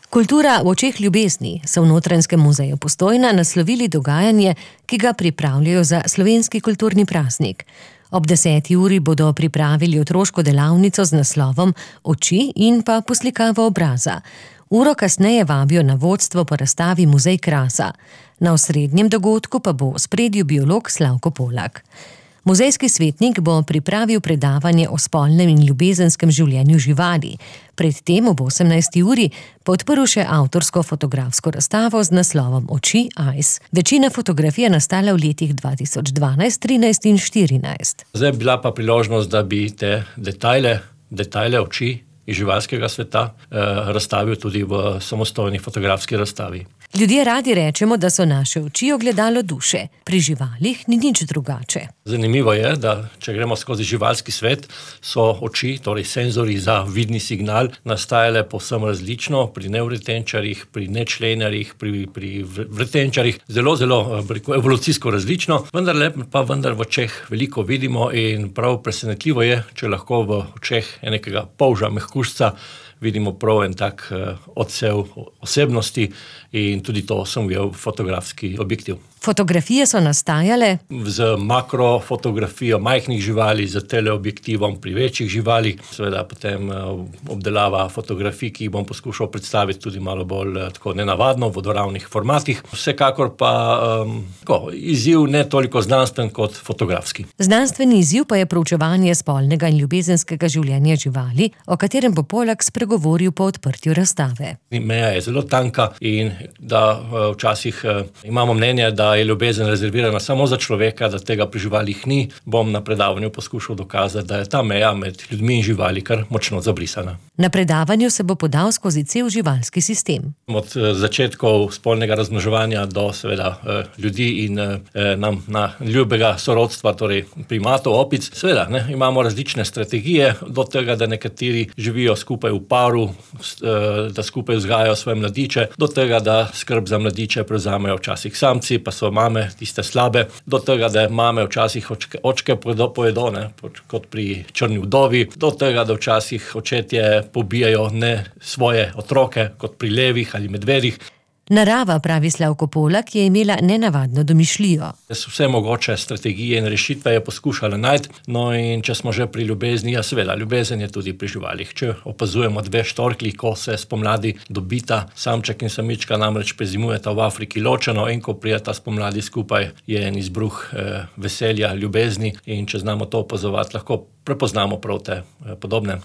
Kultura v očeh ljubezni so v Notranjskem muzeju Postojna naslovili dogajanje, ki ga pripravljajo za slovenski kulturni praznik. Ob 10. uri bodo pripravili otroško delavnico z naslovom Oči in pa poslikavo obraza. Uro kasneje vabijo na vodstvo po razstavi Muzej krasa. Na osrednjem dogodku pa bo v ospredju biolog Slavko Polak. Muzejski svetnik bo pripravil predavanje o spolnem in ljubezenskem življenju živali. Predtem ob 18. uri pa odprl še avtorsko fotografsko razstavo z naslovom Oči Eyes. Večina fotografij je nastala v letih 2012, 13 in 14. Zdaj je bila pa priložnost, da bi te detajle oči iz živalskega sveta razstavil tudi v samostojni fotografski razstavi. Ljudje radi rečemo, da so naše oči ogledalo duše. Pri živalih ni nič drugače. Zanimivo je, da če gremo skozi živalski svet, so oči, torej senzori za vidni signal, nastajale povsem različno pri nevretenčarjih, pri nečlenarjih, pri vretenčarjih, zelo evolucijsko različno, vendar v očeh veliko vidimo in prav presenetljivo je, če lahko v očeh enega polža mehkužca vidimo prav en tak odsev osebnosti in tudi to sem ujel fotografski objektiv. Fotografije so nastajale z makrofotografijo majhnih živali, z teleobjektivom pri večjih živalih, seveda potem obdelava fotografij, ki jih bom poskušal predstaviti tudi malo bolj tako nenavadno, v vodoravnih formatih. Vsekakor pa izziv ne toliko znanstven kot fotografski. Znanstveni izziv pa je proučevanje spolnega in ljubezenskega življenja živali, o katerem bo Polak spregovoril po odprtju razstave. Meja je zelo tanka in da včasih imamo mnenje, da je ljubezen rezervirana samo za človeka, da tega pri živalih ni, bom na predavanju poskušal dokazati, da je ta meja med ljudmi in živali kar močno zabrisana. Na predavanju se bo podal skozi cel živalski sistem. Od začetkov spolnega razmnoževanja do seveda ljudi in nam na ljubega sorodstva, torej primatov, opic. Seveda, imamo različne strategije, do tega, da nekateri živijo skupaj v paru, da skupaj vzgajajo svoje mladiče, do tega, da skrb za mladiče prevzamejo včasih samci, pa so mame tiste slabe, do tega, da mame včasih očke pojedo, kot pri črni vdovi, do tega, da včasih očetje pobijajo ne svoje otroke, kot pri levih ali medvedih. Narava, pravi Slavko Polak, je imela nenavadno domišljijo. Vse mogoče strategije in rešitve je poskušala najti, no in če smo že pri ljubezni, seveda, ljubezen je tudi pri živalih. Če opazujemo dve štorklji, ko se spomladi dobita, samček in samička namreč prezimujeta v Afriki ločeno in ko prijeta spomladi skupaj, je en izbruh veselja, ljubezni in če znamo to opazovati, lahko prepoznamo prav te podobne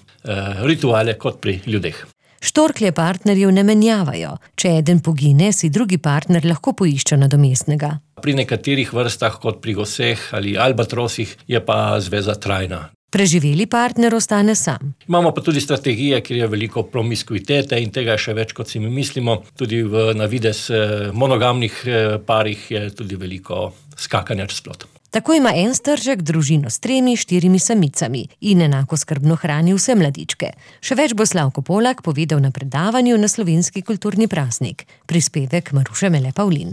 rituale kot pri ljudeh. Štorklje partnerjev ne menjavajo. Če eden pogine, si drugi partner lahko poišče nadomestnega. Pri nekaterih vrstah, kot pri goseh ali albatrosih, je pa zveza trajna. Preživeli partner ostane sam. Imamo pa tudi strategije, kjer je veliko promiskuitete in tega je še več, kot si mi mislimo. Tudi na videz monogamnih parih je tudi veliko skakanja čez plot. Tako ima en stržek družino s 3-4 samicami in enako skrbno hrani vse mladičke. Še več bo Slavko Polak povedal na predavanju na slovenski kulturni praznik. Prispevek Maruše Mele Pavlin.